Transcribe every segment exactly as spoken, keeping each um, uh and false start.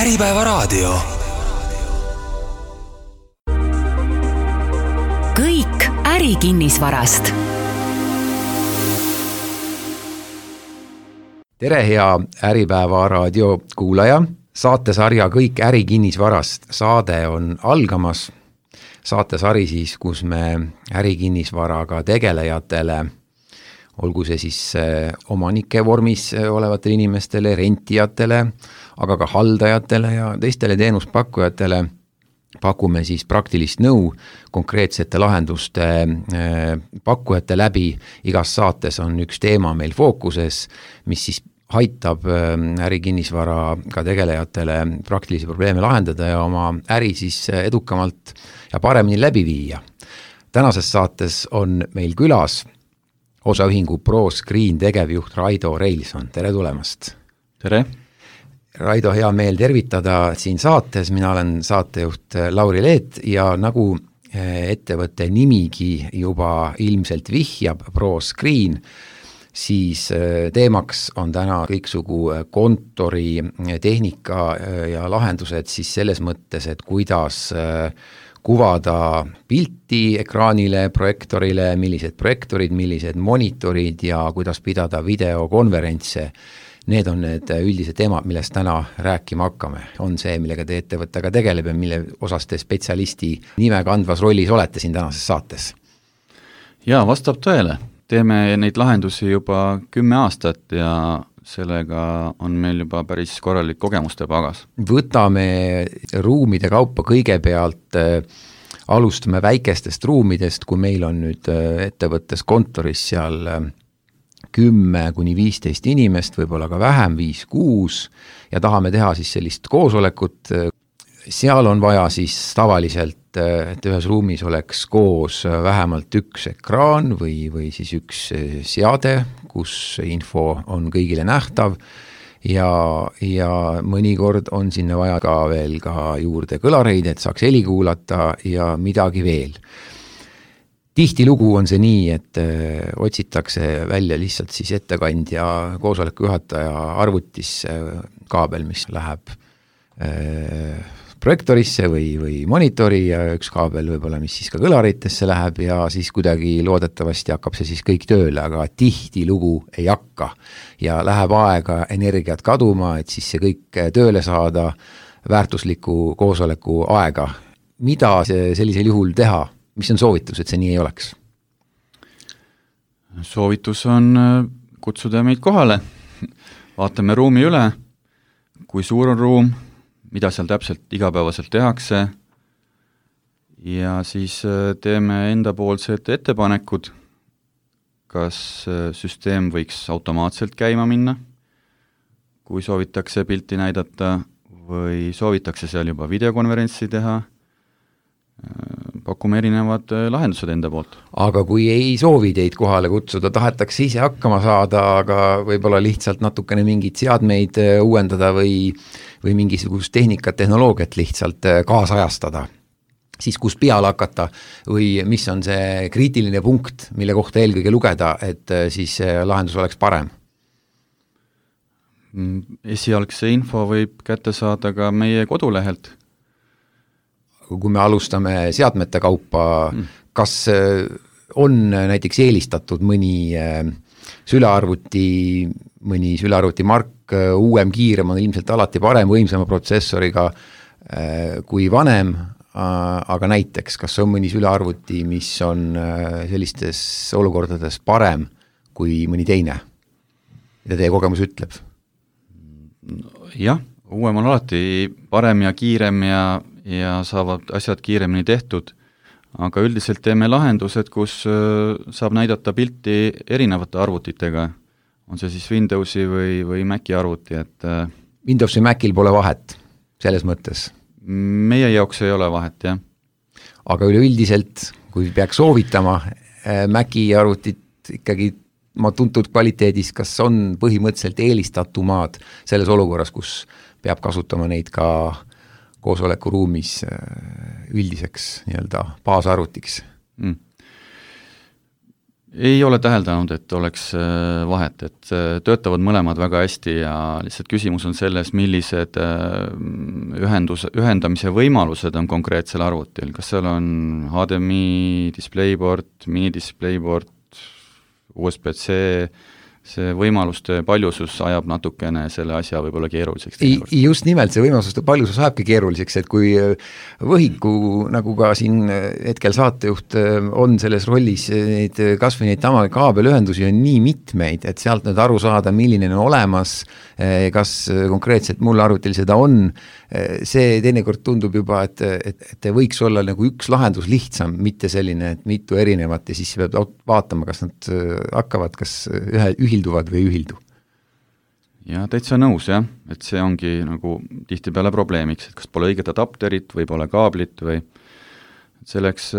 Äripäevaraadio. Kõik ärikinnisvarast. Tere, hea Äripäevaraadio kuulaja. Saatesarja Kõik ärikinnisvarast saade on algamas. Saatesari siis, kus me ärikinnisvaraga tegelejatele, olgu see siis omanike vormis olevatele inimestele, rentijatele, aga ka haldajatele ja teistele teenuspakkujatele pakume siis praktilist nõu konkreetsete lahenduste pakkujate läbi. Igas saates on üks teema meil fookuses, mis siis aitab ärikinnisvaraga tegelejatele praktilisi probleeme lahendada ja oma äri siis edukamalt ja paremini läbi viia. Tänases saates on meil külas osaühingu ProScreen tegevjuht Raido Reilson. Tere tulemast! Tere! Raido, hea meel tervitada siin saates. Mina olen saatejuht Lauri Leet ja nagu ettevõtte nimigi juba ilmselt vihjab ProScreen, siis teemaks on täna kõiksugu kontori tehnika ja lahendused siis selles mõttes, et kuidas kuvada pilti ekraanile, projektorile, millised projektorid, millised monitorid ja kuidas pidada videokonverentse. Need on need üldised teemad, millest täna rääkima hakkame. On see, millega te ettevõttega tegeleb ja mille osas te spetsialisti nime kandvas rollis olete siin tänases saates? Jaa, vastab tõele. Teeme neid lahendusi juba kümme aastat ja sellega on meil juba päris korralik kogemuste pagas. Võtame ruumide kaupa kõigepealt, alustame väikestest ruumidest, kui meil on nüüd ettevõttes kontoris seal kümme kuni viisteist inimest, võib-olla ka vähem, viis kuus ja tahame teha siis sellist koosolekut. Seal on vaja siis tavaliselt, et ühes ruumis oleks koos vähemalt üks ekraan või, või siis üks seade, kus info on kõigile nähtav ja, ja mõnikord on sinna vaja ka veel ka juurde kõlareid, et saaks heli kuulata ja midagi veel. Tihtilugu on see nii, et otsitakse välja lihtsalt siis ettekandja koosoleku juhataja arvutisse kaabel, mis läheb projektorisse või, või monitori ja üks kaabel võib-olla, mis siis ka kõlaritesse läheb ja siis kuidagi loodetavasti hakkab see siis kõik tööle, aga tihtilugu ei hakka ja läheb aega energiat kaduma, et siis see kõik tööle saada väärtusliku koosoleku aega. Mida sellisel juhul teha? Mis on soovitus, et see nii ei oleks? Soovitus on kutsuda meid kohale. Vaatame ruumi üle, kui suur on ruum, mida seal täpselt igapäevaselt tehakse ja siis teeme endapoolsed ettepanekud, kas süsteem võiks automaatselt käima minna, kui soovitakse pilti näidata või soovitakse seal juba videokonverentsi teha, pakume erinevad lahendused enda poolt. Aga kui ei soovi teid kohale kutsuda, tahetakse ise hakkama saada, aga võib-olla lihtsalt natukene mingid seadmeid uuendada või, või mingisugust tehnikat, tehnoloogiat lihtsalt kaasajastada, siis kus peale hakata või mis on see kriitiline punkt, mille kohta eelkõige lugeda, et siis lahendus oleks parem? Esialgse info võib kätte saada ka meie kodulehelt. Kui me alustame seadmete kaupa, mm. kas on näiteks eelistatud mõni sülearvuti, mõni sülearvuti mark, uuem, kiirem on ilmselt alati parem, võimsama protsessoriga kui vanem, aga näiteks, kas on mõni sülearvuti, mis on sellistes olukordades parem kui mõni teine? Mida teie kogemus ütleb? Jah, uuem on alati parem ja kiirem ja ja saavad asjad kiiremini tehtud, aga üldiselt teeme lahendused, kus saab näidata pilti erinevate arvutitega. On see siis Windowsi või, või Maci arvuti, et Windows või Macil pole vahet selles mõttes? Meie jaoks ei ole vahet, jah. Aga üleüldiselt, kui peaks soovitama Maci arvutit ikkagi ma tuntud kvaliteedis, kas on põhimõtteliselt eelistatumad selles olukorras, kus peab kasutama neid ka koosolekuruumis üldiseks nii-öelda baasarvutiks? Mm. ei ole täheldanud, et oleks vahet, et töötavad mõlemad väga hästi ja lihtsalt küsimus on selles, millised ühendus, ühendamise võimalused on konkreetsel arvutil, kas seal on H D M I, DisplayPort, mini-DisplayPort, U S B C, see võimaluste paljusus ajab natukene selle asja võib-olla keeruliseks. Just nimelt, see võimaluste paljusus ajabki keeruliseks, et kui võhiku, nagu ka siin hetkel saatejuht on selles rollis, neid, kas või neid tama kaabelühendusi on nii mitmeid, et sealt nüüd aru saada, milline on olemas, kas konkreetselt mul arvutil seda on, see teinekord tundub juba, et, et, et võiks olla nagu üks lahendus lihtsam, mitte selline, et mitu erinevat ja siis peab vaatama, kas nad hakkavad, kas ühe, ühilduvad või ühildu. Ja täitsa nõus, jah, et see ongi nagu tihtipeale probleemiks, et kas pole õiget adapterit või pole kaablit või selleks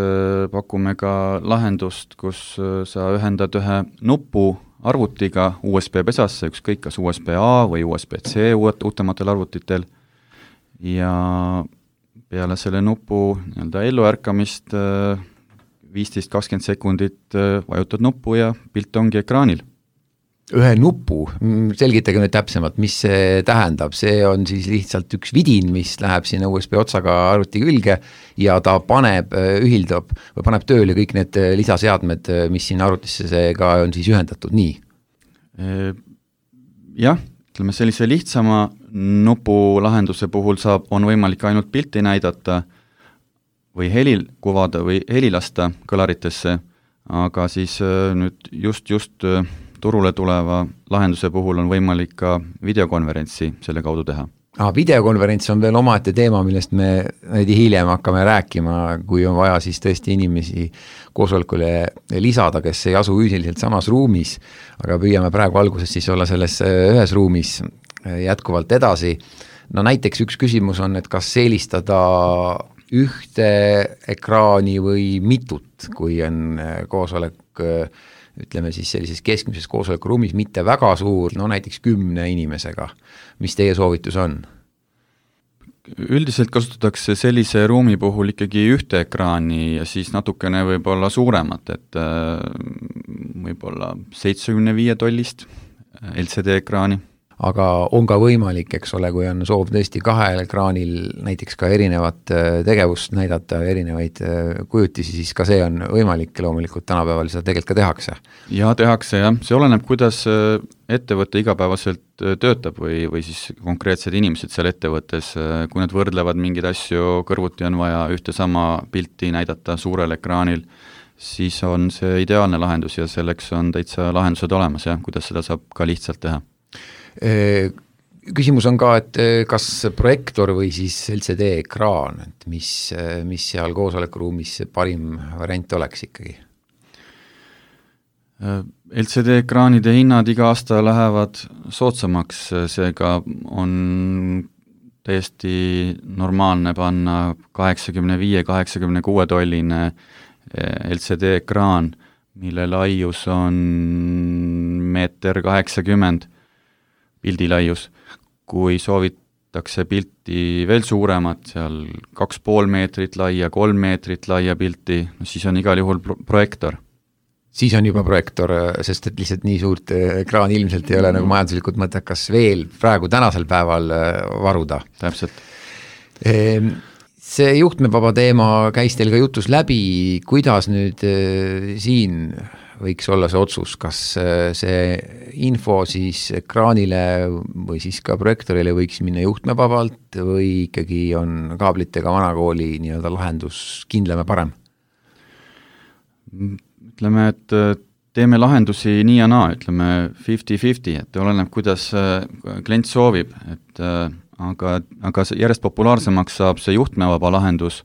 pakume ka lahendust, kus sa ühendad ühe nupu arvutiga U S B pesasse, ükskõik kas U S B A või U S B C uut, uutematel arvutitel ja peale selle nupu nii-öelda elluärkamist viisteist kakskümmend sekundit vajutad nuppu ja pilt ongi ekraanil. Ühe nupu, selgitage nüüd täpsemalt, mis see tähendab, see on siis lihtsalt üks vidin, mis läheb sinna U S B otsaga arvuti külge ja ta paneb, ühildab või paneb tööle kõik need lisaseadmed, mis siin arvutisse see ka on siis ühendatud, nii? Jah, ütleme sellise lihtsama nupulahenduse puhul saab, on võimalik ainult pilti näidata või helil kuvada või heli lasta kõlaritesse, aga siis nüüd just, just turule tuleva lahenduse puhul on võimalik ka videokonverentsi selle kaudu teha. Ah, videokonverents on veel omaette teema, millest me näidi hiljem hakkame rääkima, kui on vaja siis tõesti inimesi koosolekule lisada, kes ei asu üüsiliselt samas ruumis, aga püüame praegu alguses siis olla selles ühes ruumis jätkuvalt edasi. No näiteks üks küsimus on, et kas eelistada ühte ekraani või mitut, kui on koosolek, ütleme siis sellises keskmises koosolekuruumis, mitte väga suur, no näiteks kümne inimesega. Mis teie soovitus on? Üldiselt kasutatakse sellise ruumi puhul ikkagi ühte ekraani ja siis natukene võib-olla suuremat, et võib-olla seitsekümmend viis tollist L C D ekraani. Aga on ka võimalik, eks ole, kui on soov tõesti kahel ekraanil näiteks ka erinevat tegevust näidata, erinevaid kujutisi, siis ka see on võimalik loomulikult tänapäeval seda tegelikult ka tehakse. Ja tehakse, jah. See oleneb, kuidas ettevõte igapäevaselt töötab või, või siis konkreetsed inimesed seal ettevõttes, kui nad võrdlevad mingeid asju, kõrvuti on vaja ühte sama pilti näidata suurel ekraanil, siis on see ideaalne lahendus ja selleks on täitsa lahendused olemas, jah, kuidas seda saab ka lihtsalt teha. Küsimus on ka, et kas projektor või siis L C D ekraan, et mis, mis seal koosolekuruumis parim variant oleks ikkagi? L C D ekraanide hinnad iga aasta lähevad soodsamaks, seega on täiesti normaalne panna kaheksakümmend viis kaheksakümmend kuus tolline L C D ekraan, mille laius on meeter kaheksakümmend pildilaius. Kui soovitakse pilti veel suuremat, seal kaks pool meetrit laia, kolm meetrit laia pilti, no siis on igal juhul pro- projektor. Siis on juba projektor, sest et lihtsalt nii suurt ekraan ilmselt ei ole nagu majanduslikult mõttekas veel praegu tänasel päeval varuda. Täpselt. See juhtmevaba teema käis teil ka jutus läbi, kuidas nüüd siin võiks olla see otsus, kas see info siis ekraanile või siis ka projektorile võiks minna juhtmevabalt või ikkagi on kaablitega vanakooli nii-öelda lahendus kindlam ja parem? Ütleme, et teeme lahendusi nii ja naa, ütleme viiskümmend viiskümmend, et oleneb, kuidas klient soovib, et aga, aga järjest populaarsemaks saab see juhtmevaba lahendus,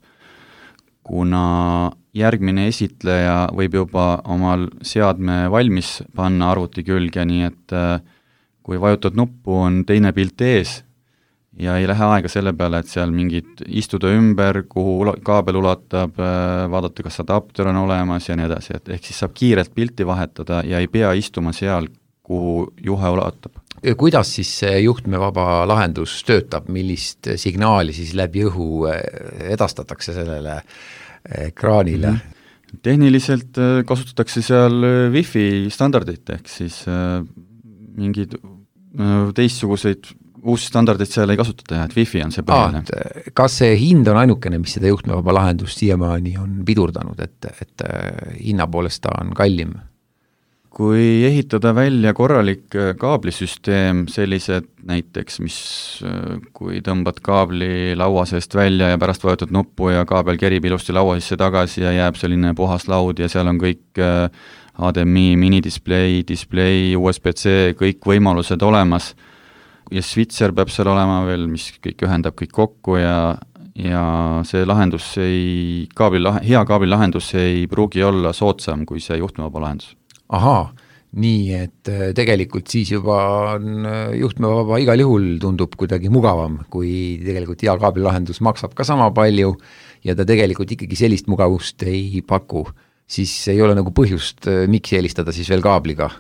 kuna järgmine esitleja võib juba omal seadme valmis panna arvuti külge, nii et kui vajutad nuppu, on teine pilt ees ja ei lähe aega selle peale, et seal mingid istuda ümber, kuhu kaabel ulatab, vaadata, kas adapter on olemas ja nii edasi, et ehk siis saab kiirelt pilti vahetada ja ei pea istuma seal, kuhu juhe ulatab. Kuidas siis see juhtmevaba lahendus töötab, millist signaali siis läbi õhu edastatakse sellele ekraanile? tehniliselt kasutatakse seal Wi-Fi standardit, ehk siis mingid teistsuguseid uusi standardeid seal ei kasutata, et Wi-Fi on see põhiline. Kas see hind on ainukene, mis seda juhtmevaba lahendust siiamaani on pidurdanud, et, et hinna poolest ta on kallim? Kui ehitada välja korralik kaablisüsteem, sellised näiteks, mis kui tõmbad kaabli laua seest välja ja pärast vajutad nuppu ja kaabel kerib ilusti laua sisse tagasi ja jääb selline puhas laud ja seal on kõik H D M I, minidisplay, display, U S B C, kõik võimalused olemas ja switcher peab seal olema veel, mis kõik ühendab kõik kokku ja, ja see lahendus ei, kaabli, hea kaabli lahendus ei pruugi olla soodsam kui see juhtmevaba lahendus. Ahaa, nii et tegelikult siis juba on juhtmevaba igal juhul tundub kuidagi mugavam, kui tegelikult hea kaablilahendus maksab ka sama palju ja ta tegelikult ikkagi sellist mugavust ei paku, siis ei ole nagu põhjust, miks eelistada siis veel kaabliga.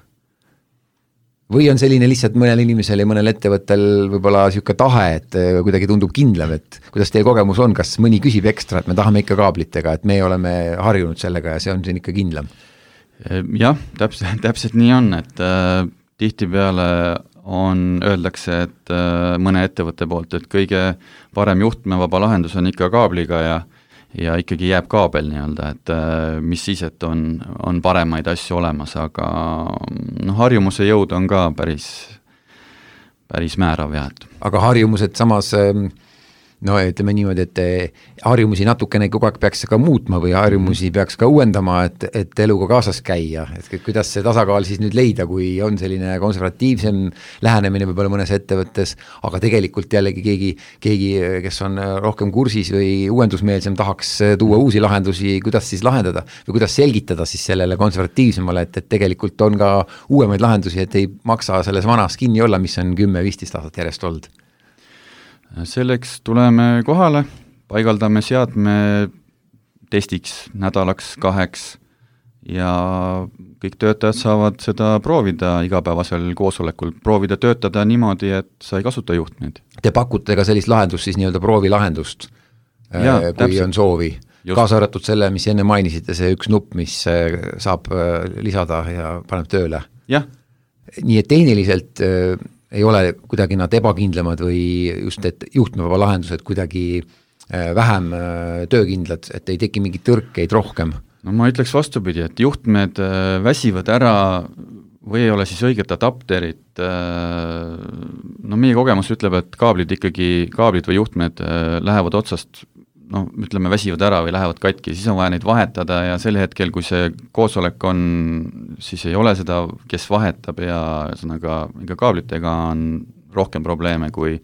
Või on selline lihtsalt mõnel inimesel ja mõnel ettevõttel võib-olla niisugune tahe, et kuidagi tundub kindlam, et kuidas teie kogemus on, kas mõni küsib ekstra, et me tahame ikka kaablitega, et me oleme harjunud sellega ja see on siin ikka kindlam? Jah, täpselt, täpselt nii on, et äh, tihtipeale on, öeldakse, et äh, mõne ettevõtte poolt, et kõige parem juhtmevaba lahendus on ikka kaabliga ja, ja ikkagi jääb kaabel nii-öelda, et äh, mis siis, et on, on paremaid asju olemas, aga no, harjumuse jõud on ka päris, päris määrav. Ja, et. Aga harjumused samas no ütleme niimoodi, et harjumusi natukene kogu aeg peaks ka muutma või harjumusi peaks ka uuendama, et, et eluga kaasas käia, et kuidas see tasakaal siis nüüd leida, kui on selline konservatiivsem lähenemine võib-olla mõnes ettevõttes, aga tegelikult jällegi keegi, keegi, kes on rohkem kursis või uuendusmeelsem tahaks tuua uusi lahendusi, kuidas siis lahendada või kuidas selgitada siis sellele konservatiivsemale, et, et tegelikult on ka uuemaid lahendusi, et ei maksa selles vanas kinni olla, mis on kümme viisteist aastat järjest olnud. Selleks tuleme kohale, paigaldame seadme testiks nädalaks, kaheks ja kõik töötajad saavad seda proovida igapäevasel koosolekul, proovida töötada niimoodi, et sa ei kasuta juhtmeid. Te pakute ka sellist lahendust, siis nii-öelda proovilahendust, ja, kui täpselt. On soovi. Just. Kaasa arvatud selle, mis enne mainisite, see üks nupp, mis saab lisada ja paneb tööle. Jah. Nii et tehniliselt ei ole kuidagi nad ebakindlamad või just, et juhtmevaba lahendused kuidagi vähem töökindlad, et ei teki mingit tõrkeid rohkem. No ma ütleks vastupidi, et juhtmed väsivad ära või ei ole siis õiget adapterit. No meie kogemus ütleb, et kaablid ikkagi, kaablid või juhtmed lähevad otsast, no ütleme, väsivad ära või lähevad katki, siis on vaja neid vahetada ja sel hetkel, kui see koosolek on, siis ei ole seda, kes vahetab ja sõnaga, ega kaablitega on rohkem probleeme kui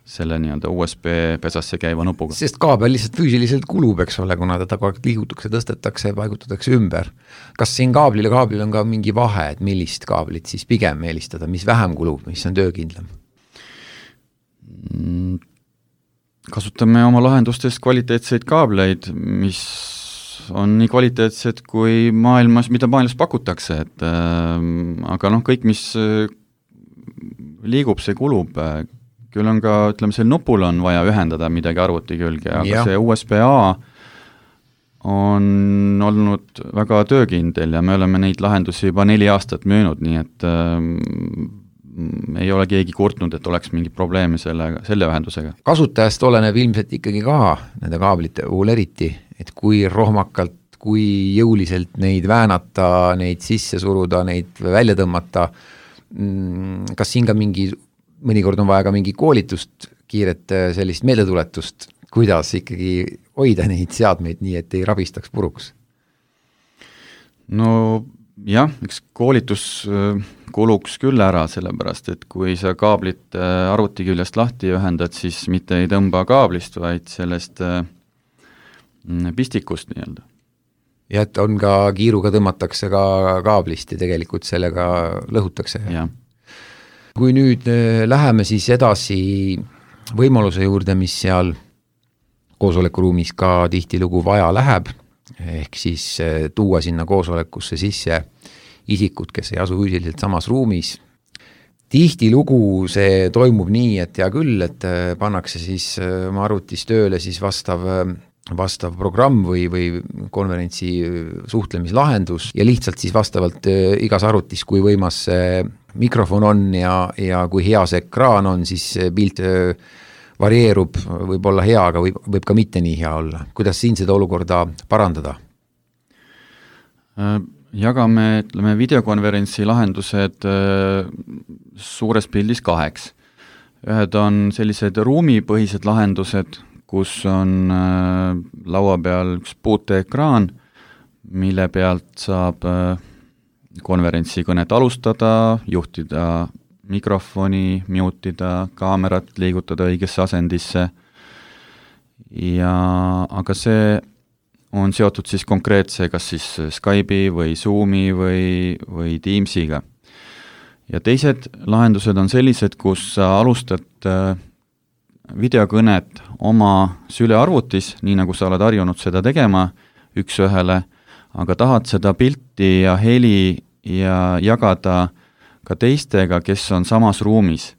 selle nii-öelda U S B pesasse käiva nupuga. Sest kaabel lihtsalt füüsiliselt kulub, eks ole, kuna teda kogu aeg liigutakse, tõstetakse, paigutatakse ümber. Kas siin kaablil ja kaablil on ka mingi vahe, et millist kaablit siis pigem eelistada, mis vähem kulub, mis on töökindlam? Mm. Kasutame oma lahendustes kvaliteetseid kaableid, mis on nii kvaliteetsed kui maailmas, mida maailmas pakutakse, et äh, aga noh, kõik, mis liigub, see kulub. Küll on ka, ütleme, sel nupul on vaja ühendada midagi arvuti külge, aga ja. See U S B A on olnud väga töökindel ja me oleme neid lahendusi juba neli aastat müünud, nii et äh, ei ole keegi kurtnud, et oleks mingi probleeme selle, selle ühendusega. Kasutajast oleneb ilmselt ikkagi ka nende kaablite puhul eriti, et kui rohmakalt, kui jõuliselt neid väänata, neid sisse suruda, neid välja tõmmata, kas siin ka mingi, mõnikord on vaja ka mingi koolitust, kiiret sellist meeldetuletust, kuidas ikkagi hoida neid seadmeid nii, et ei rabistaks puruks? No jah, eks koolitus kuluks küll ära, sellepärast, et kui sa kaablit arvuti küljest lahti ühendad, siis mitte ei tõmba kaablist, vaid sellest pistikust nii-öelda. Ja et on ka kiiruga tõmmatakse ka kaablist ja tegelikult sellega lõhutakse. Ja. Kui nüüd läheme siis edasi võimaluse juurde, mis seal koosolekuruumis ka tihtilugu vaja läheb, ehk siis tuua sinna koosolekusse sisse isikud, kes ei asu füüsiliselt samas ruumis. Tihtilugu see toimub nii, et hea küll, et pannakse siis oma arvutis tööle siis vastav vastav programm või, või konverentsi suhtlemislahendus ja lihtsalt siis vastavalt igas arvutis, kui võimas see mikrofon on ja, ja kui hea see ekraan on, siis pilt varieerub, võib olla hea, aga võib, võib ka mitte nii hea olla. Kuidas siin seda olukorda parandada? Jagame, ütleme, videokonverentsi lahendused suures pildis kaheks. Ühed on sellised ruumipõhised lahendused, kus on laua peal üks puuteekraan, mille pealt saab konverentsi kõnet alustada, juhtida mikrofoni, mutida, kaamerat liigutada õigesse asendisse ja aga see on seotud siis konkreetse kas siis Skype'i või Zoomi või, või Teamsiga. Ja teised lahendused on sellised, kus sa alustad videokõnet oma sülearvutis, nii nagu sa oled harjunud seda tegema üks ühele, aga tahad seda pilti ja heli ja jagada ka teistega, kes on samas ruumis.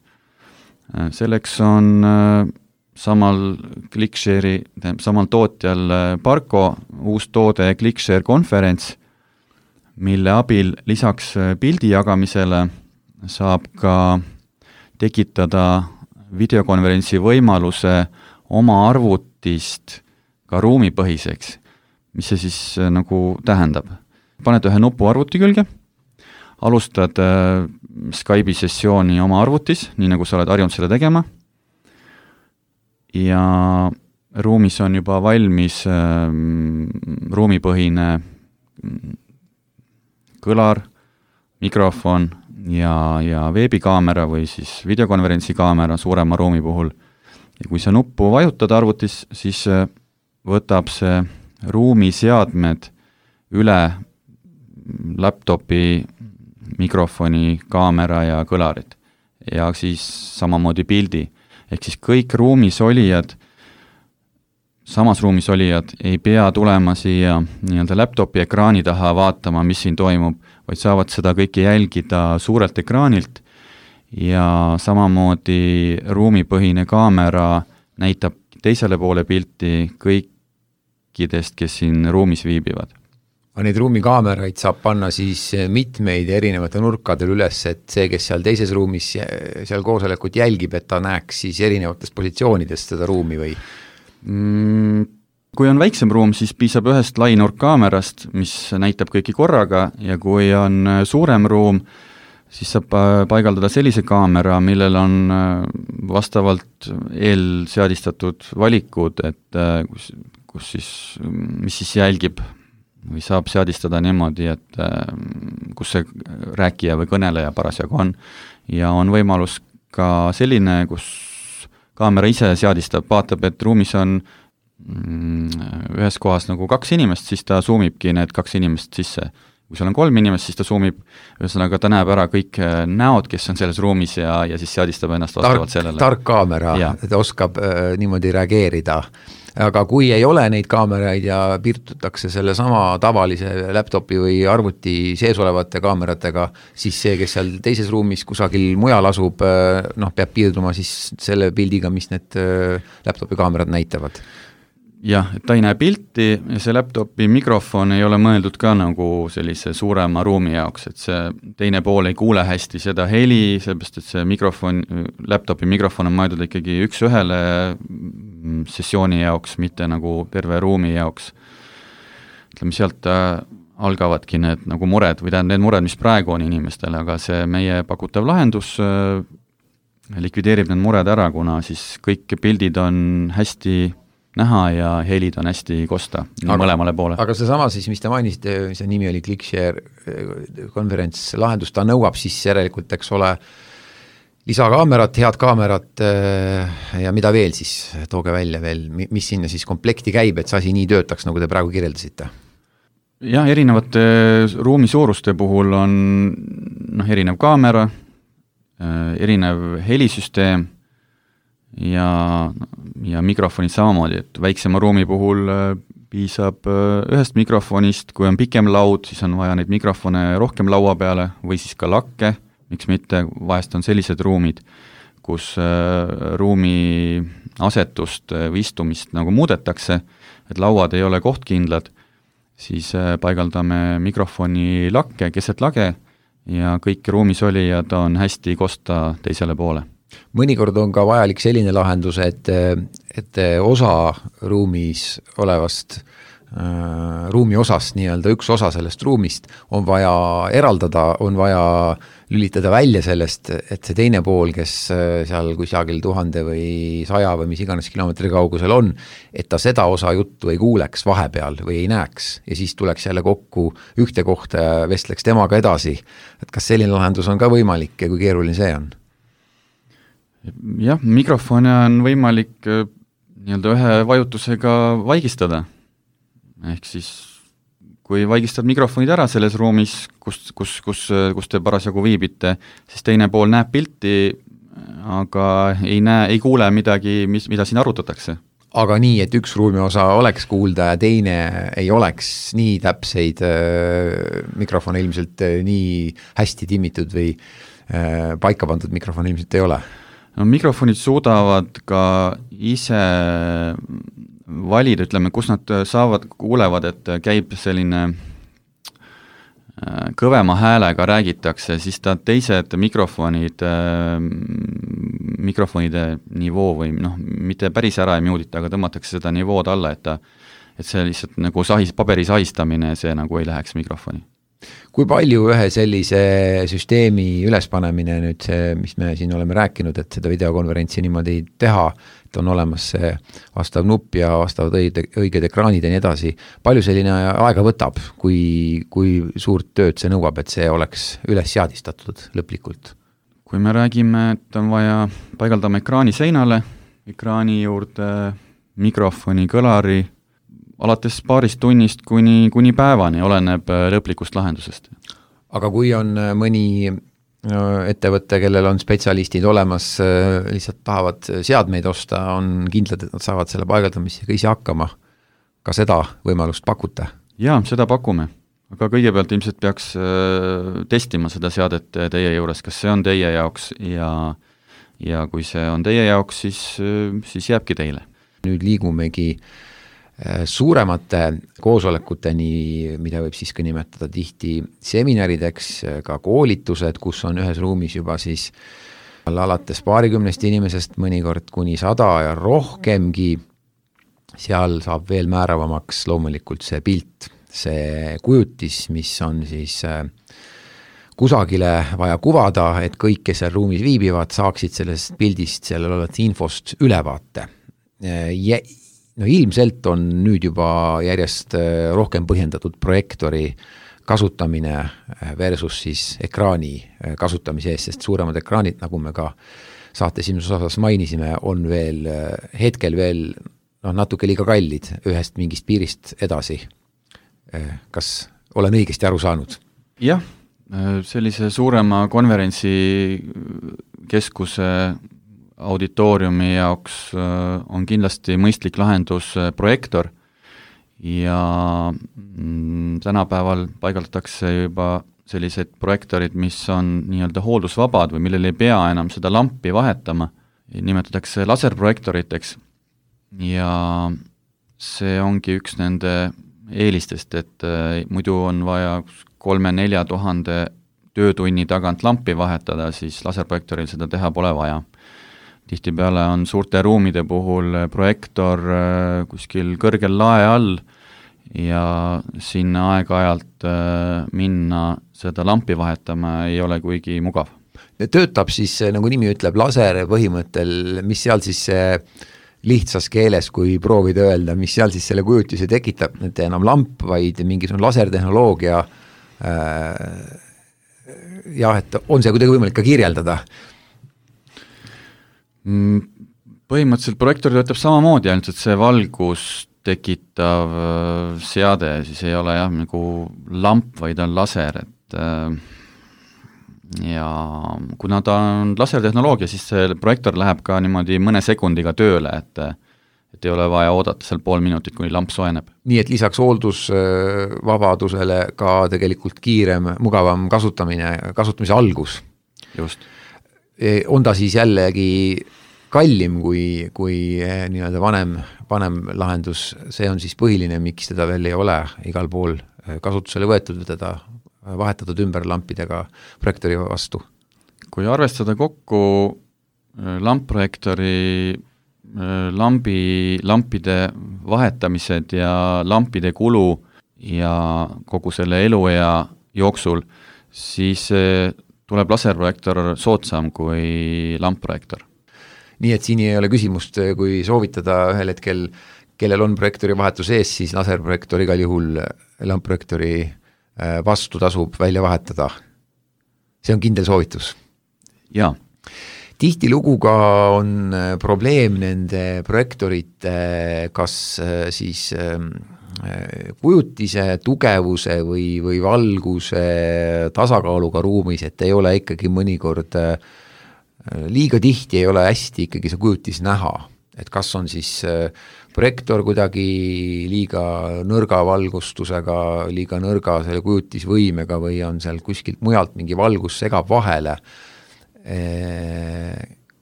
Selleks on samal ClickShare'i, samal tootjal Barco uus toode ClickShare Conference, mille abil lisaks pildi jagamisele saab ka tekitada videokonverentsi võimaluse oma arvutist ka ruumipõhiseks. Mis see siis nagu tähendab? Paned ühe nupu arvuti külge, alustad äh, Skype'i sessiooni oma arvutis, nii nagu sa oled harjunud selle tegema, ja ruumis on juba valmis äh, ruumipõhine kõlar, mikrofon ja, ja veebikaamera või siis videokonverentsi kaamera suurema ruumi puhul. Ja kui sa nuppu vajutad arvutis, siis võtab see ruumiseadmed üle laptopi, mikrofoni, kaamera ja kõlarid ja siis samamoodi pildi. Ehk siis kõik ruumis olijad, samas ruumis olijad ei pea tulema siia nii-öelda laptopi ekraani taha vaatama, mis siin toimub, vaid saavad seda kõike jälgida suurelt ekraanilt ja samamoodi ruumipõhine kaamera näitab teisele poole pilti kõikidest, kes siin ruumis viibivad. Neid ruumikaameraid saab panna siis mitmeid erinevate nurkadel üles, et see, kes seal teises ruumis seal koosolekut jälgib, et ta näeks siis erinevatest positsioonidest seda ruumi või? Mm, kui on väiksem ruum, siis piisab ühest lainurkkaamerast, mis näitab kõiki korraga ja kui on suurem ruum, siis saab paigaldada sellise kaamera, millel on vastavalt eelseadistatud valikud, et kus, kus siis, mis siis jälgib või saab seadistada niimoodi, et kus see rääkija või kõneleja parasjagu on ja on võimalus ka selline, kus kaamera ise seadistab, vaatab, et ruumis on ühes kohas nagu kaks inimest, siis ta zoomibki need kaks inimest sisse. Kui seal on kolm inimest, siis ta zoomib, ühesõnaga ta näeb ära kõik näod, kes on selles ruumis ja, ja siis seadistab ennast vastavalt sellele. Tark kaamera, et oskab äh, niimoodi reageerida. Aga kui ei ole neid kaameraid ja piirtutakse selle sama tavalise laptopi või arvuti sees olevate kaameratega, siis see, kes seal teises ruumis kusagil mujal asub, noh, peab piirduma siis selle pildiga, mis need laptopi kaamerad näitavad. Jah, et ta ei näe pilti ja see laptopi mikrofon ei ole mõeldud ka nagu sellise suurema ruumi jaoks, et see teine pool ei kuule hästi seda heli, sellepärast et see mikrofon, laptopi mikrofon on mõeldud ikkagi üks ühele sessiooni jaoks, mitte nagu terve ruumi jaoks. Ütleme, sealt algavadki need nagu mured või tähendab need mured, mis praegu on inimestele, aga see meie pakutav lahendus likvideerib need mured ära, kuna siis kõik pildid on hästi näha ja helid on hästi kosta aga, mõlemale poole. Aga see sama siis, mis te mainisite, see nimi oli ClickShare konverents lahendus, ta nõuab siis järelikult, eks ole, lisakaamerat, head kaamerat ja mida veel siis, tooge välja veel, mis sinna siis komplekti käib, et see asi nii töötaks, nagu te praegu kirjeldasite? Jah, erinevate ruumi suuruste puhul on noh, erinev kaamera, erinev helisüsteem, ja, ja mikrofonid samamoodi, et väiksema ruumi puhul piisab ühest mikrofonist, kui on pikem laud, siis on vaja neid mikrofone rohkem laua peale või siis ka lakke, miks mitte, vahest on sellised ruumid, kus ruumi asetust või istumist nagu muudetakse, et lauad ei ole kohtkindlad, siis paigaldame mikrofoni lakke, keset lage ja kõik ruumis olijad on hästi kosta teisele poole. Mõnikord on ka vajalik selline lahendus, et, et osa ruumis olevast äh, ruumi osast, nii-öelda üks osa sellest ruumist on vaja eraldada, on vaja lülitada välja sellest, et see teine pool, kes seal kusagil tuhande või saja või mis iganes kilomeetri kaugusel on, et ta seda osa juttu ei kuuleks vahepeal või ei näeks ja siis tuleks jälle kokku ühte kohta ja vestleks temaga edasi. Et kas selline lahendus on ka võimalik ja kui keeruline see on? Jah, mikrofone on võimalik nii-öelda ühe vajutusega vaigistada. Ehk siis kui vaigistad mikrofonid ära selles ruumis, kus, kus, kus, kus te parasjagu viibite, siis teine pool näeb pilti, aga ei näe, ei kuule midagi, mis, mida siin arutatakse. Aga nii, et üks ruumi osa oleks kuulda ja teine ei oleks nii täpseid äh, mikrofone ilmselt äh, nii hästi timmitud või äh, paika pandud mikrofon ilmselt ei ole? No, mikrofonid suudavad ka ise valida, ütleme, kus nad saavad, kuulevad, et käib selline kõvema häälega räägitakse, siis ta teised mikrofonid, mikrofonide nivoo või noh, mitte päris ära ei muudita, aga tõmmatakse seda nivood alla, et ta, et see lihtsalt nagu sahis, paberi sahistamine, see nagu ei läheks mikrofoni. Kui palju ühe sellise süsteemi ülespanemine nüüd see, mis me siin oleme rääkinud, et seda videokonverentsi niimoodi teha, et on olemas see vastav nupp ja vastavad õiged, õiged ekraanid ja nii edasi, palju selline aega võtab, kui, kui suurt tööd see nõuab, et see oleks üles seadistatud lõplikult? Kui me räägime, et on vaja paigaldama ekraani seinale, ekraani juurde mikrofoni, kõlari, alates paarist tunnist kuni, kuni päevani, oleneb lõplikust lahendusest. Aga kui on mõni ettevõte, kellel on spetsialistid olemas, lihtsalt tahavad seadmeid osta, on kindlad, et nad saavad selle paigaldamisega ise hakkama. Ka seda võimalust pakute? Jaa, seda pakume. Aga kõigepealt ilmselt peaks testima seda seadet teie juures, kas see on teie jaoks ja, ja kui see on teie jaoks, siis, siis jääbki teile. Nüüd liigumegi suuremate koosolekuteni, mida võib siis ka nimetada tihti seminarideks, ka koolitused, kus on ühes ruumis juba siis alates paarikümnest inimesest, mõnikord kuni sada ja rohkemgi, seal saab veel määravamaks loomulikult see pilt, see kujutis, mis on siis kusagile vaja kuvada, et kõik, kes seal ruumis viibivad, saaksid sellest pildist, seal olevat infost ülevaate. Ja no ilmselt on nüüd juba järjest rohkem põhjendatud projektori kasutamine versus siis ekraani kasutamise eest, sest suuremad ekraanid, nagu me ka saate esimeses osas mainisime, on veel hetkel veel no, natuke liiga kallid ühest mingist piirist edasi. Kas olen õigesti aru saanud? Jah, sellise suurema konverentsi keskuse auditooriumi jaoks on kindlasti mõistlik lahendus projektor ja tänapäeval paigaldatakse juba sellised projektorid, mis on nii-öelda hooldusvabad või millel ei pea enam seda lampi vahetama, nimetatakse laserprojektoriteks ja see ongi üks nende eelistest, et muidu on vaja kolme-nelja tuhande töötunni tagant lampi vahetada, siis laserprojektoril seda teha pole vaja. Tihtipeale on suurte ruumide puhul projektor kuskil kõrgel lae all ja sinna aeg-ajalt minna seda lampi vahetama ei ole kuigi mugav. Töötab siis, nagu nimi ütleb, laser põhimõttel, mis seal siis lihtsas keeles, kui proovida öelda, mis seal siis selle kujutise tekitab, et enam lamp, vaid mingisugune lasertehnoloogia jah, et on see kuidagi võimalik ka kirjeldada? Põhimõtteliselt projektor töötab samamoodi, ainult et see valgus tekitav seade, siis ei ole jah, nagu lamp, vaid on laser, et ja kuna ta on lasertehnoloogia, siis see projektor läheb ka niimoodi mõne sekundiga tööle, et, et ei ole vaja oodata seal pool minutit, kuni lamp soeneb. Nii et lisaks hooldusvabadusele ka tegelikult kiirem, mugavam kasutamine, kasutamise algus. Just. On ta siis jällegi kallim kui, kui nii-öelda vanem, vanem lahendus, see on siis põhiline, miks teda veel ei ole igal pool kasutusele võetud, teda vahetatud ümber lampidega projektori vastu. Kui arvestada kokku lampprojektori lambi, lampide vahetamised ja lampide kulu ja kogu selle eluea jooksul, siis tuleb laserprojektor soodsam kui lampprojektor. Nii et siin ei ole küsimust, kui soovitada ühel hetkel, kellel on projektori vahetus ees, siis laserprojektor igal juhul lampprojektori vastu tasub välja vahetada. See on kindel soovitus. Jaa. Tihtilugu ka on probleem nende projektorite kas siis kujutise tugevuse või, või valguse tasakaaluga ruumis, et ei ole ikkagi mõnikord liiga tihti ei ole hästi ikkagi see kujutis näha, et kas on siis projektor kuidagi liiga nõrga valgustusega, liiga nõrga selle kujutisvõimega või on seal kuskilt mujalt mingi valgus segab vahele.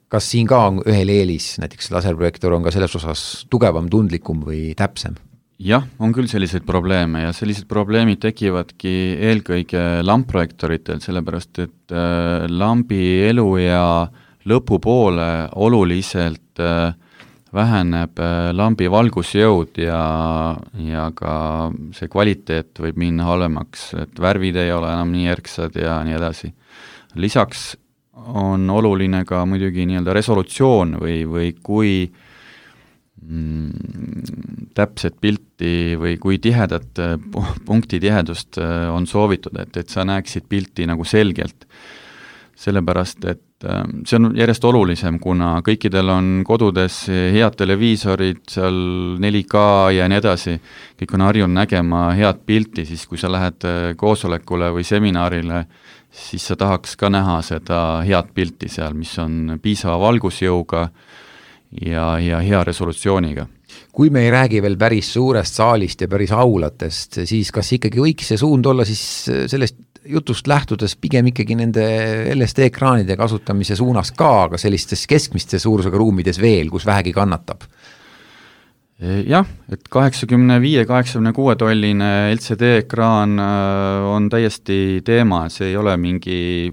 Kas siin ka on ühel eelis, näiteks laserprojektor on ka selles osas tugevam, tundlikum või täpsem? Jah, on küll selliseid probleeme ja sellised probleemid tekivadki eelkõige lampprojektoritel, sellepärast et lambi elu ja lõpupoole oluliselt väheneb lambi valgusjõud ja, ja ka see kvaliteet võib minna halvemaks, et värvid ei ole enam nii järgsad ja nii edasi. Lisaks on oluline ka muidugi nii-öelda resolutsioon või, või kui mm, täpset pilti või kui tihedat punkti tihedust on soovitud, et, et sa näeksid pilti nagu selgelt. Sellepärast, et see on järjest olulisem, kuna kõikidel on kodudes head televiisorid, seal neli K ja nii edasi, kõik on harjunud nägema head pilti, siis kui sa lähed koosolekule või seminarile, siis sa tahaks ka näha seda head pilti seal, mis on piisava valgusjõuga ja, ja hea resolutsiooniga. Kui me ei räägi veel päris suurest saalist ja päris aulatest, siis kas ikkagi võiks see suund olla siis sellest jutust lähtudes pigem ikkagi nende L S D-ekraanide kasutamise suunas ka, aga sellistes keskmiste suurusega ruumides veel, kus vähegi kannatab? Jah, et kaheksakümne viie kaheksakümne kuue tolline L C D-ekraan on täiesti teema, see ei ole mingi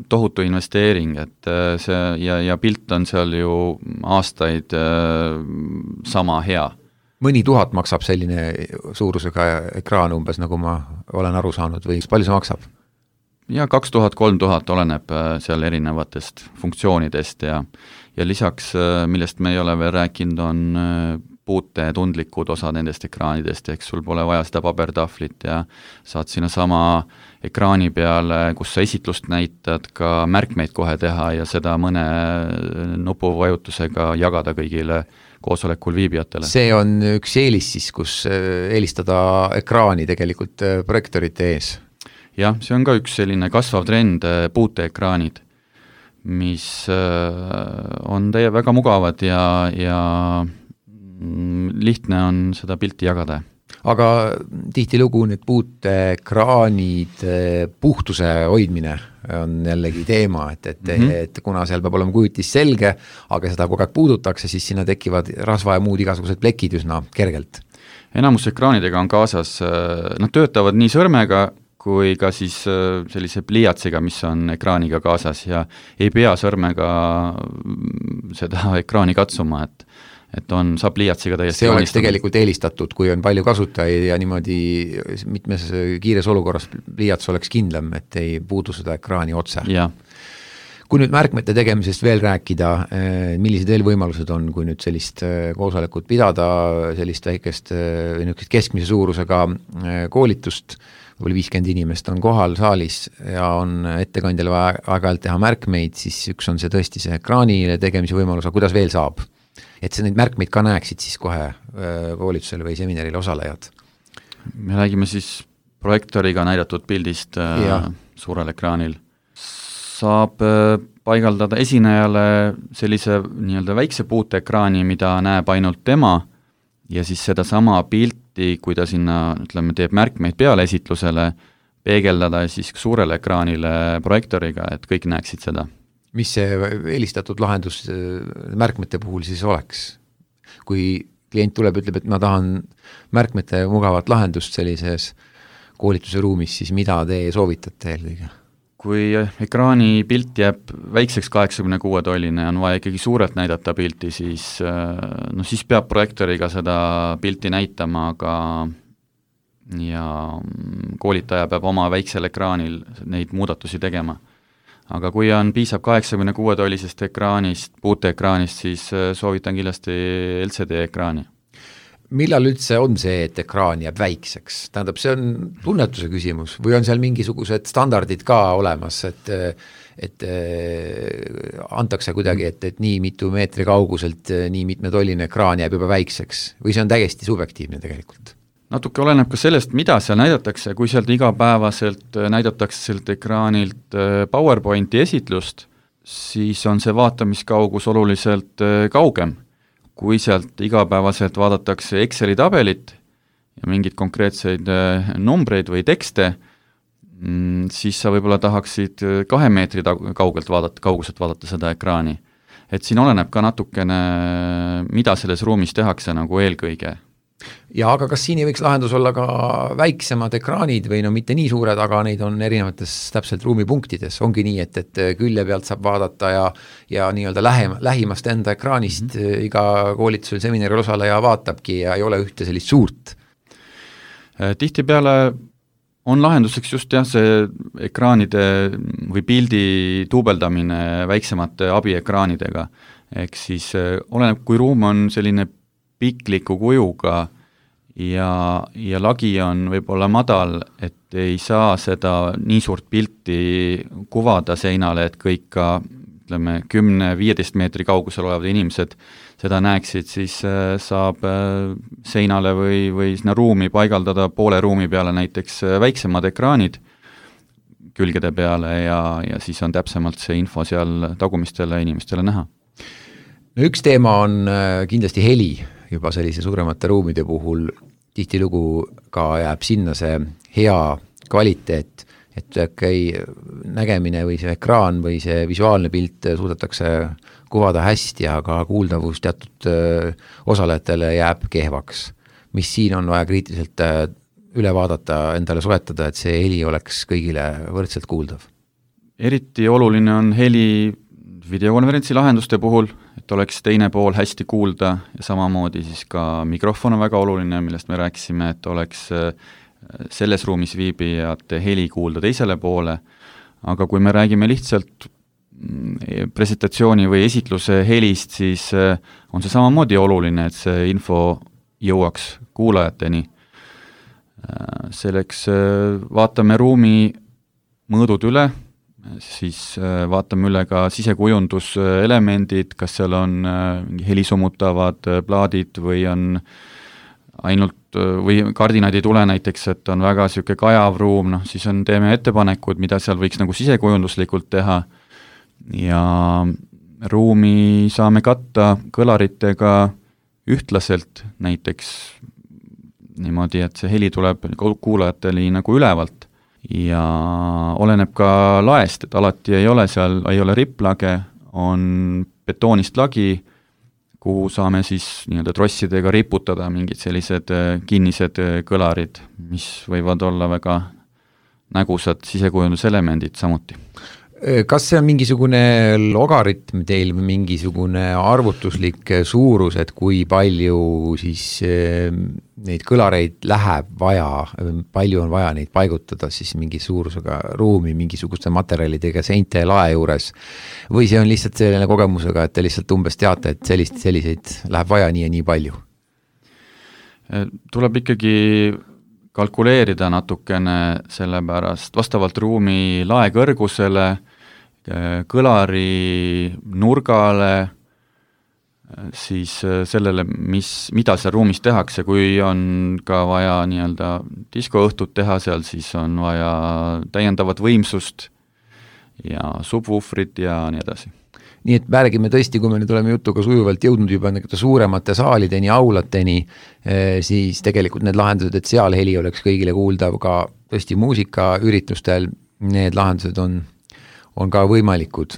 tohutu investeering, et see ja, ja pilt on seal ju aastaid sama hea. Mõni tuhat maksab selline suurusega ekraan umbes, nagu ma olen aru saanud, või palju see maksab? Ja kaks tuhat, kolm tuhat oleneb seal erinevatest funktsioonidest ja, ja lisaks, millest me ei ole veel rääkinud, on puute tundlikud osa nendest ekraanidest, ehk sul pole vaja seda pabertahvlit ja saad sinna sama ekraani peale, kus sa esitlust näitad, ka märkmeid kohe teha ja seda mõne nupuvajutusega jagada kõigile koosolekul viibijatele. See on üks eelis siis, kus eelistada ekraani tegelikult projektorite ees. Jah, see on ka üks selline kasvav trend, puuteekraanid, mis on teie väga mugavad ja, ja lihtne on seda pilti jagada. Aga tihtilugu need puuteekraanid puhtuse hoidmine on jällegi teema, et, et, mm -hmm. et kuna seal peab olema kujutis selge, aga seda kogu aeg puudutakse, siis sinna tekivad rasva ja muud igasugused plekid üsna kergelt. Enamus ekraanidega on kaasas, nad töötavad nii sõrmega, kui ka siis sellise pliiatsiga, mis on ekraaniga kaasas ja ei pea sõrmega seda ekraani katsuma, et, et on, saab pliiatsiga täiesti see oleks tegelikult eelistatud, kui on palju kasutajaid ja niimoodi mitmes kiires olukorras pliiats oleks kindlam, et ei puudu seda ekraani otse. Ja. Kui nüüd märkmete tegemisest veel rääkida, millised veel võimalused on, kui nüüd sellist koosolekut pidada, sellist väikest keskmise suurusega koolitust, või viiskümmend inimest on kohal saalis ja on ettekandjale aeg-ajalt teha märkmeid, siis üks on see tõesti see ekraanile tegemise võimalus, aga kuidas veel saab? Et see neid märkmeid ka näeksid siis kohe koolitusele või seminarile osalejad? Me räägime siis projektoriga näidatud pildist ja. Suurel ekraanil. Saab paigaldada esinejale sellise nii-öelda väikse puuteekraani, mida näeb ainult tema ja siis seda sama pilti, kui ta sinna, ütleme, teeb märkmeid peale esitlusele, peegeldada siis suurele ekraanile projektoriga, et kõik näeksid seda. mis see eelistatud lahendus märkmete puhul siis oleks? Kui klient tuleb, ütleb, et ma tahan märkmete mugavat lahendust sellises koolituse ruumis, siis mida te soovitate eelkõige? Kui ekraani pilt jääb väikseks kaheksakümne kuue tolline ja on vaja ikkagi suurelt näidata pilti, siis, no siis peab projektoriga seda pilti näitama, aga ja koolitaja peab oma väiksel ekraanil neid muudatusi tegema. Aga kui on piisab kaheksakümne kuue tollisest ekraanist, puuteekraanist, siis soovitan kindlasti L C D ekraani. Millal üldse on see, et ekraan jääb väikseks? Tähendab, see on tunnetuse küsimus või on seal mingisugused standardid ka olemas, et, et antakse kuidagi, et, et nii mitu meetri kauguselt nii mitme tolline ekraan jääb juba väikseks või see on täiesti subjektiivne tegelikult? Natuke oleneb ka sellest, mida seal näidatakse, kui sealt igapäevaselt näidatakse sealt ekraanilt PowerPointi esitlust, siis on see vaatamiskaugus oluliselt kaugem. Kui sealt igapäevaselt vaadatakse Exceli tabelit ja mingeid konkreetseid numbreid või tekste, siis sa võib-olla tahaksid kahe meetri kaugelt vaadata, kauguselt vaadata seda ekraani. Et siin oleneb ka natukene, mida selles ruumis tehakse nagu eelkõige. Ja aga kas siin ei võiks lahendus olla ka väiksemad ekraanid või no mitte nii suured, aga neid on erinevates täpselt ruumipunktides, ongi nii, et, et külje pealt saab vaadata ja, ja nii-öelda lähem, lähimast enda ekraanist mm-hmm. iga koolitusel seminaril osaleja vaatabki ja ei ole ühte sellist suurt. Tihtipeale on lahenduseks just jah, see ekraanide või pildi tuubeldamine väiksemate abiekraanidega, ehk siis oleneb, kui ruum on selline pikliku kujuga ja, ja lagi on võib-olla madal, et ei saa seda nii suurt pilti kuvada seinale, et kõik ka ütleme kümne viieteist meetri kaugusel olevad inimesed seda näeksid, siis saab seinale või, või sinna ruumi paigaldada poole ruumi peale näiteks väiksemad ekraanid külgede peale ja, ja siis on täpsemalt see info seal tagumistele inimestele näha. No üks teema on kindlasti heli, juba sellise suuremate ruumide puhul tihtilugu ka jääb sinna see hea kvaliteet, et okei, nägemine või see ekraan või see visuaalne pilt suudetakse kuvada hästi, aga kuuldavus teatud osalejatele jääb kehvaks. Mis siin on vaja kriitiliselt üle vaadata, endale soetada, et see heli oleks kõigile võrdselt kuuldav? Eriti oluline on heli videokonverentsi lahenduste puhul, et oleks teine pool hästi kuulda ja samamoodi siis ka mikrofon on väga oluline, millest me rääkisime, et oleks selles ruumis viibijate heli kuulda teisele poole, aga kui me räägime lihtsalt presentatsiooni või esitluse helist, siis on see samamoodi oluline, et see info jõuaks kuulajateni. Selleks vaatame ruumi mõõdud üle, siis vaatame üle ka sisekujunduselemendid, kas seal on helisummutavad plaadid või on ainult või kardinaid ei tule näiteks, et on väga siuke kajav ruum, noh siis on, teeme ettepanekud, mida seal võiks nagu sisekujunduslikult teha ja ruumi saame katta kõlaritega ühtlaselt, näiteks niimoodi, et see heli tuleb kuulajatele nagu ülevalt ja oleneb ka laest, et alati ei ole seal, ei ole ripplage, on betoonist lagi, kuhu saame siis nii-öelda trossidega riputada mingid sellised kinnised kõlarid, mis võivad olla väga nägusad sisekujunduselemendid samuti. Kas see on mingisugune logaritm teil või mingisugune arvutuslik suurus, et kui palju siis neid kõlareid läheb vaja, palju on vaja neid paigutada siis mingi suurusega ruumi, mingisuguste materjalidega seinte lae juures, või see on lihtsalt selline kogemusega, et te lihtsalt umbes teate, et sellist, selliseid läheb vaja nii ja nii palju? Tuleb ikkagi kalkuleerida natukene sellepärast vastavalt ruumi lae kõrgusele, kõlari nurgale, siis sellele, mis, mida seal ruumis tehakse, kui on ka vaja nii-öelda diskoõhtut teha seal, siis on vaja täiendavat võimsust ja subwoofrit ja nii edasi. Nii et räägime tõesti, kui me nüüd oleme jutuga sujuvalt jõudnud juba suuremate saalideni, aulateni, siis tegelikult need lahendused, et seal heli oleks kõigile kuuldav ka tõesti muusikaüritustel, need lahendused on, on ka võimalikud.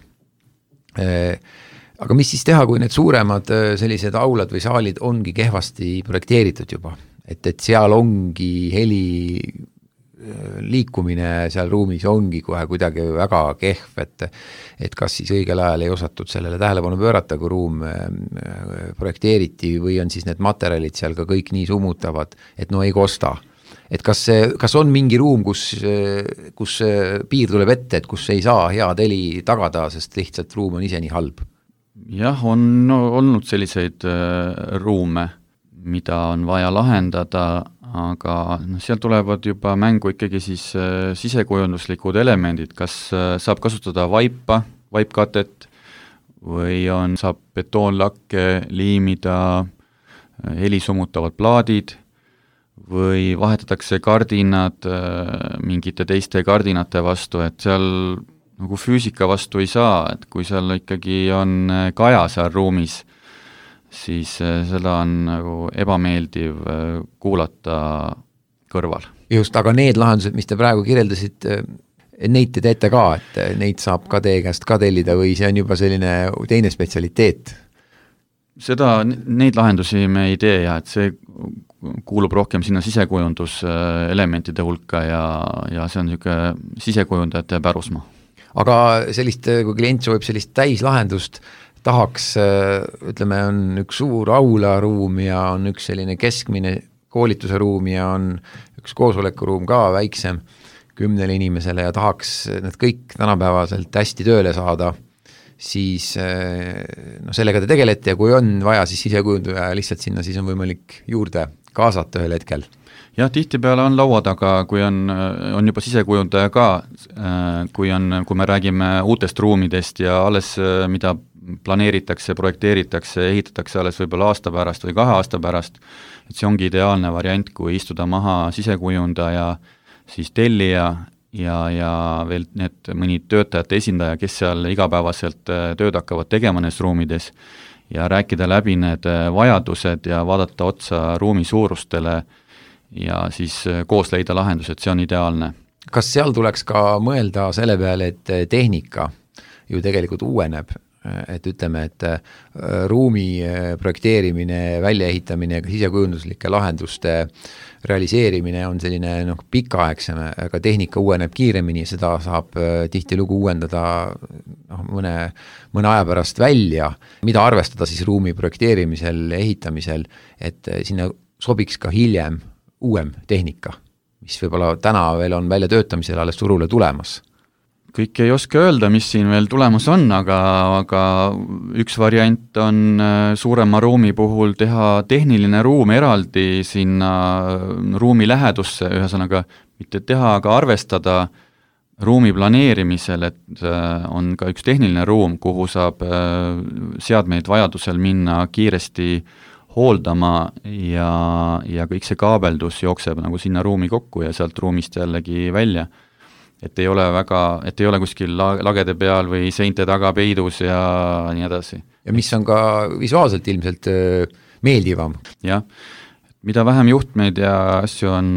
Aga mis siis teha, kui need suuremad sellised aulad või saalid ongi kehvasti projekteeritud juba, et, et seal ongi heli liikumine seal ruumis ongi kohe kuidagi väga kehv, et, et kas siis õigel ajal ei osatud sellele tähelepanu pöörata, kui ruum projekteeriti või on siis need materjalid seal ka kõik nii summutavad, et no ei kosta. Et kas, kas on mingi ruum, kus, kus piir tuleb ette, et kus ei saa head heli tagada, sest lihtsalt ruum on ise nii halb? Jah, on olnud selliseid ruume, mida on vaja lahendada, aga no, seal tulevad juba mängu ikkagi siis äh, sisekujunduslikud elemendid, kas äh, saab kasutada vaipa, vaipkatet või on, saab betoonlakke liimida äh, helisummutavad plaadid või vahetatakse kardinad äh, mingite teiste kardinate vastu, et seal nagu füüsika vastu ei saa, et kui seal ikkagi on kaja seal ruumis, siis seda on nagu ebameeldiv kuulata kõrval. Just, aga need lahendused, mis te praegu kirjeldasid, neid te teete ka, et neid saab ka teie käest ka tellida või see on juba selline teine spetsialiteet? Seda, neid lahendusi me ei tee ja et see kuulub rohkem sinna sisekujunduselementide hulka ja, ja see on niisugune sisekujundajate pärusmaa. Aga sellist, kui klient soovib sellist täislahendust, tahaks, ütleme, on üks suur aularuum ja on üks selline keskmine koolituse ruum ja on üks koosolekuruum ka väiksem kümnele inimesele ja tahaks need kõik tänapäevaselt hästi tööle saada, siis no, sellega te tegelete ja kui on vaja, siis sisekujundaja lihtsalt sinna, siis on võimalik juurde kaasata ühel hetkel. Jah, tihtipeale on laua taga, kui on, on juba sisekujundaja ka, kui, on, kui me räägime uutest ruumidest ja alles, mida planeeritakse, projekteeritakse, ehitatakse alles võib-olla aasta pärast või kahe aasta pärast, et see ongi ideaalne variant, kui istuda maha sisekujundaja, siis tellija ja, ja veel need mõni töötajate esindaja, kes seal igapäevaselt tööd hakkavad tegema neis ruumides ja rääkida läbi need vajadused ja vaadata otsa ruumi suurustele ja siis koos leida lahendused, see on ideaalne. Kas seal tuleks ka mõelda selle peale, et tehnika ju tegelikult uueneb, et ütleme, et ruumi projekteerimine, väljaehitamine, sisekujunduslike lahenduste realiseerimine on selline noh, pikaaegsem, aga tehnika uueneb kiiremini, seda saab tihtilugu uuendada noh, mõne, mõne aja pärast välja, mida arvestada siis ruumi projekteerimisel, ehitamisel, et sinna sobiks ka hiljem uuem tehnika, mis võib-olla täna veel on välja töötamisel alles turule tulemas. Kõik ei oska öelda, mis siin veel tulemas on, aga, aga üks variant on suurema ruumi puhul teha tehniline ruum eraldi sinna ruumi lähedusse, ühesõnaga mitte teha, aga arvestada ruumi planeerimisel, et on ka üks tehniline ruum, kuhu saab seadmeid vajadusel minna kiiresti hooldama ja, ja kõik see kaabeldus jookseb nagu sinna ruumi kokku ja sealt ruumist jällegi välja. Et ei ole väga, et ei ole kuskil lagede peal või seinte taga peidus ja nii edasi. Ja mis on ka visuaalselt ilmselt meeldivam. Jah, mida vähem juhtmeid ja asju on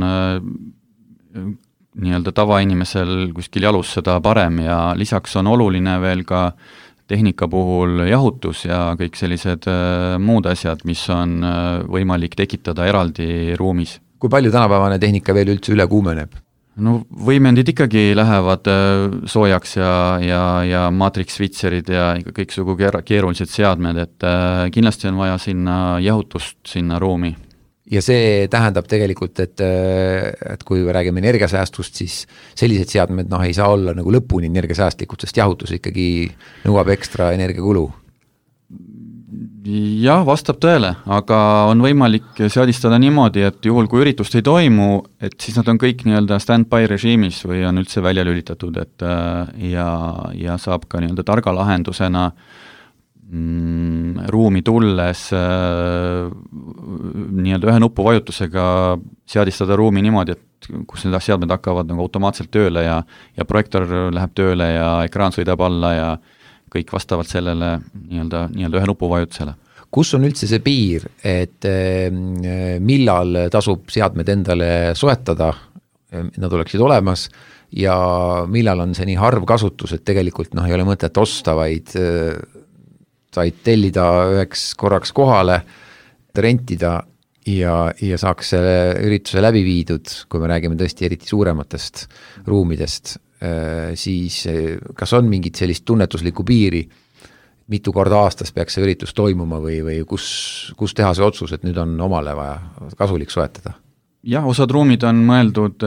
nii-öelda tavainimesel kuskil jalus, seda parem ja lisaks on oluline veel ka tehnika puhul jahutus ja kõik sellised muud asjad, mis on võimalik tekitada eraldi ruumis. Kui palju tänapäevane tehnika veel üldse üle kuumeneb? No võimendid ikkagi lähevad soojaks ja, ja, ja matrix switcherid ja kõiksugu keerulised seadmed, et kindlasti on vaja sinna jahutust sinna ruumi. Ja see tähendab tegelikult, et, et kui räägime energiasäästust, siis sellised seadmed noh, ei saa olla nagu lõpuni energiasäästlikud, sest jahutus ikkagi nõuab ekstra energiakulu. Jah, vastab tõele, aga on võimalik seadistada niimoodi, et juhul kui üritust ei toimu, et siis nad on kõik nii-öelda stand-by režiimis või on üldse välja lülitatud, et ja, ja saab ka nii-öelda targa lahendusena mm, ruumi tulles nii-öelda ühe nupu vajutusega seadistada ruumi niimoodi, et kus need seadmed hakkavad nagu automaatselt tööle ja, ja projektor läheb tööle ja ekraan sõidab alla ja kõik vastavalt sellele nii-öelda, nii-öelda ühe nupu vajutusele. Kus on üldse see piir, et millal tasub seadmed endale soetada nad oleksid olemas ja millal on see nii harv kasutus, et tegelikult noh, ei ole mõtet osta, vaid said tellida üheks korraks kohale, rentida ja, ja saaks selle ürituse läbi viidud, kui me räägime tõesti eriti suurematest ruumidest, siis kas on mingit sellist tunnetuslikku piiri, mitu korda aastas peaks see üritus toimuma või, või kus, kus teha see otsus, et nüüd on omale vaja kasulik soetada? Jah, osad ruumid on mõeldud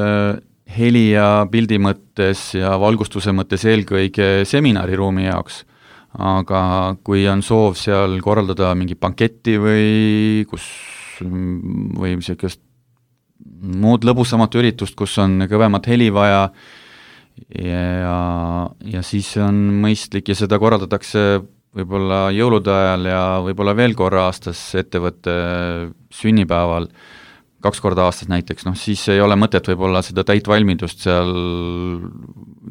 heli ja pildi mõttes ja valgustuse mõttes eelkõige seminariruumi jaoks, aga kui on soov seal korraldada mingi banketti või kus või sellist muud lõbusamat üritust, kus on kõvemat heli vaja ja, ja siis on mõistlik ja seda korraldatakse võib-olla jõulude ajal ja võib-olla veel korra aastas ettevõtte sünnipäeval, kaks korda aastas näiteks, noh siis ei ole mõtet võib-olla seda täit valmidust seal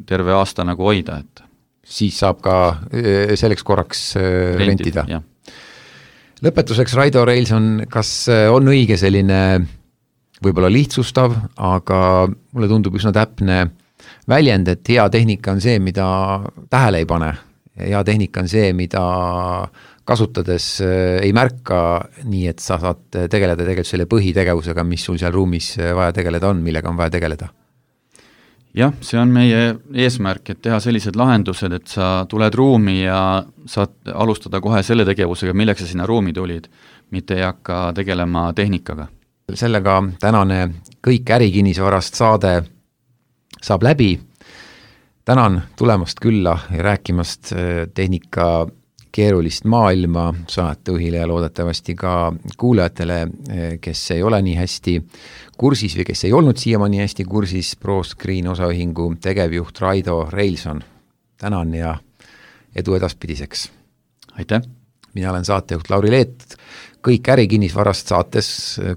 terve aasta nagu hoida, et siis saab ka selleks korraks rentida, rentida.. Lõpetuseks, Raido Reilson, kas on õige selline võib-olla lihtsustav, aga mulle tundub üsna täpne väljend, et hea tehnika on see, mida tähele ei pane. Hea tehnika on see, mida kasutades ei märka nii, et sa saad tegeleda tegelikult selle põhitegevusega, mis sul seal ruumis vaja tegeleda on, millega on vaja tegeleda. Jah, see on meie eesmärk, et teha sellised lahendused, et sa tuled ruumi ja saad alustada kohe selle tegevusega, milleks sa sinna ruumi tulid, mitte ei hakka tegelema tehnikaga. Sellega tänane kõik ärikinnisvarast saade saab läbi. Tänan tulemast külla ja rääkimast tehnika keerulist maailma saatejuhile ja loodetavasti ka kuulajatele, kes ei ole nii hästi kursis või kes ei olnud siiamaani hästi kursis, ProScreen osaühingu tegevjuht Raido Reilson. Tänan ja edu edaspidiseks. Aitäh! Mina olen saatejuht Lauri Leet. Kõik ärikinnisvarast saates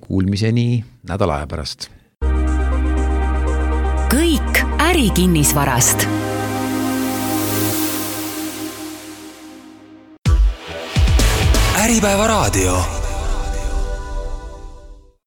kuulmiseni nädala aja pärast. Kõik ärikinnisvarast. Äripäeva raadio.